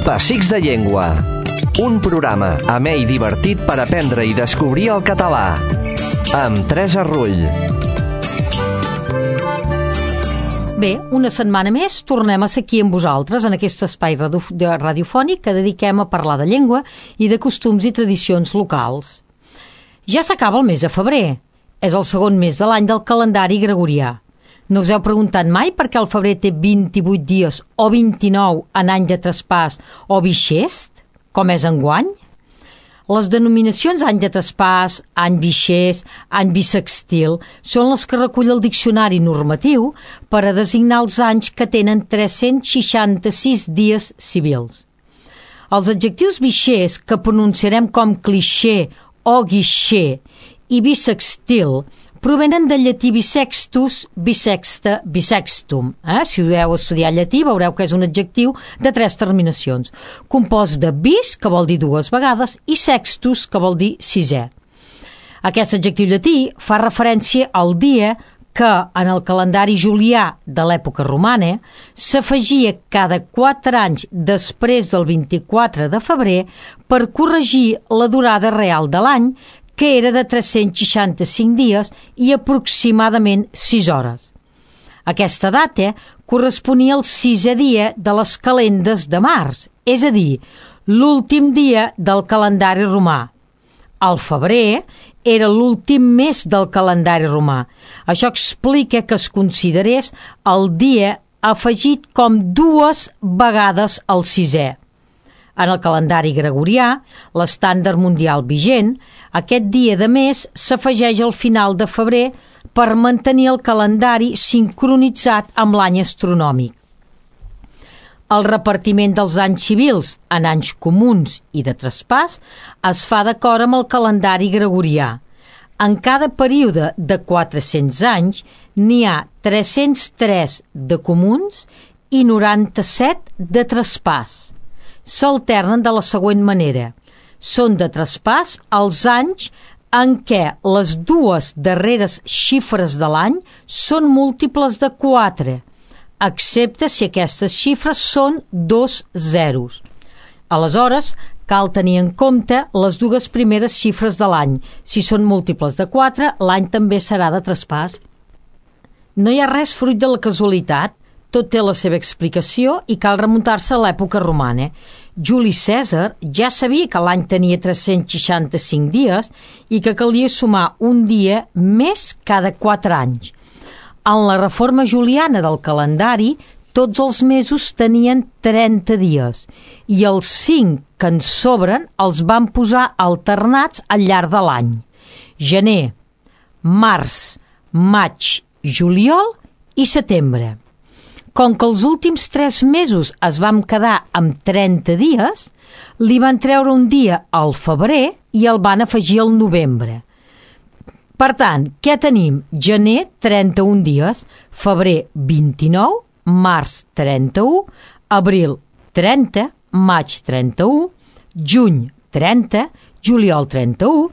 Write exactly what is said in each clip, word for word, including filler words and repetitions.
Pessics de Llengua. Un programa amè i divertit per aprendre i descobrir el català. Amb Teresa Rull. Bé, una setmana més tornem a ser aquí amb vosaltres en aquest espai radiofònic que dediquem a parlar de llengua i de costums i tradicions locals. Ja s'acaba el mes de febrer. És el segon mes de l'any del calendari gregorià. No us heu preguntat mai per què el febrer té vint-i-vuit dies o vint-i-nou en any de traspàs o bixest, com és enguany? Les denominacions any de traspàs, any bixest, any bisextil són les que recull el diccionari normatiu per a designar els anys que tenen tres-cents seixanta-sis dies civils. Els adjectius bixest, que pronunciarem com clixé o guixer, i bisextil provenen del llatí bisextus, bisexta, bisextum. Eh? Si heu estudiat llatí veureu que és un adjectiu de tres terminacions, compost de bis, que vol dir dues vegades, i sextus, que vol dir sisè. Aquest adjectiu llatí fa referència al dia que, en el calendari julià de l'època romana, s'afegia cada quatre anys després del vint-i-quatre de febrer per corregir la durada real de l'any, que era de tres-cents seixanta-cinc dies i aproximadament sis hores. Aquesta data corresponia al sisè dia de les calendes de març, és a dir, l'últim dia del calendari romà. El febrer era l'últim mes del calendari romà. Això explica que es considerés el dia afegit com dues vegades al sisè. En el calendari gregorià, l'estàndard mundial vigent, aquest dia de mes s'afegeix al final de febrer per mantenir el calendari sincronitzat amb l'any astronòmic. El repartiment dels anys civils en anys comuns i de traspàs es fa d'acord amb el calendari gregorià. En cada període de quatre-cents anys n'hi ha tres-cents tres de comuns i noranta-set de traspàs. S'alternen de la següent manera. Són de traspàs els anys en què les dues darreres xifres de l'any són múltiples de quatre, excepte si aquestes xifres són dos zeros. Aleshores, cal tenir en compte les dues primeres xifres de l'any. Si són múltiples de quatre, l'any també serà de traspàs. No hi ha res fruit de la casualitat. Tot té la seva explicació i cal remuntar-se a l'època romana. Juli Cèsar ja sabia que l'any tenia tres-cents seixanta-cinc dies i que calia sumar un dia més cada quatre anys. En la reforma juliana del calendari, tots els mesos tenien trenta dies i els cinc que en sobren els van posar alternats al llarg de l'any. Gener, març, maig, juliol i setembre. Com que els últims tres mesos es vam quedar amb trenta dies, li van treure un dia al febrer i el van afegir al novembre. Per tant, què tenim? Gener, trenta-un dies, febrer, vint-i-nou, març, trenta-u, abril, trenta, maig, trenta-u, juny, trenta, juliol, trenta-u,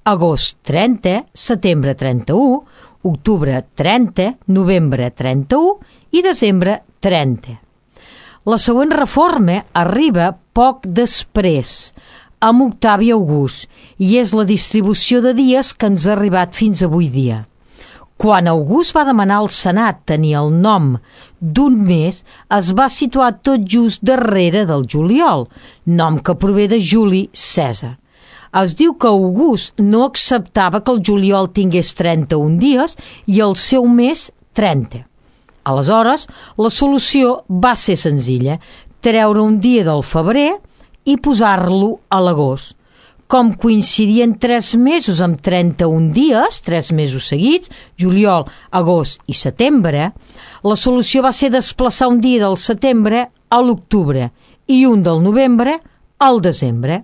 agost, trenta, setembre, trenta-u, octubre, trenta, novembre, trenta-u i desembre, trenta. La següent reforma arriba poc després, amb Octavi August, i és la distribució de dies que ens ha arribat fins avui dia. Quan August va demanar al Senat tenir el nom d'un mes, es va situar tot just darrere del juliol, nom que prové de Juli Cèsar. Es diu que August no acceptava que el juliol tingués trenta-un dies i el seu mes trenta. Aleshores, la solució va ser senzilla, treure un dia del febrer i posar-lo a l'agost. Com coincidien tres mesos amb trenta-un dies, tres mesos seguits, juliol, agost i setembre, la solució va ser desplaçar un dia del setembre a l'octubre i un del novembre al desembre.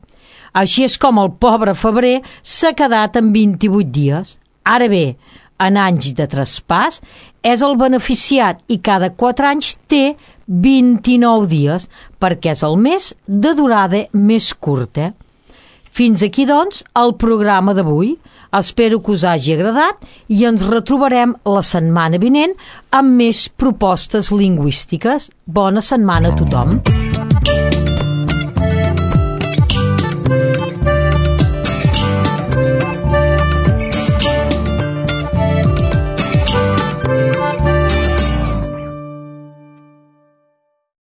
Així és com el pobre febrer s'ha quedat amb vint-i-vuit dies. Ara bé, en anys de traspàs, és el beneficiat i cada quatre anys té vint-i-nou dies, perquè és el mes de durada més curta. Fins aquí, doncs, el programa d'avui. Espero que us hagi agradat i ens retrobarem la setmana vinent amb més propostes lingüístiques. Bona setmana a tothom.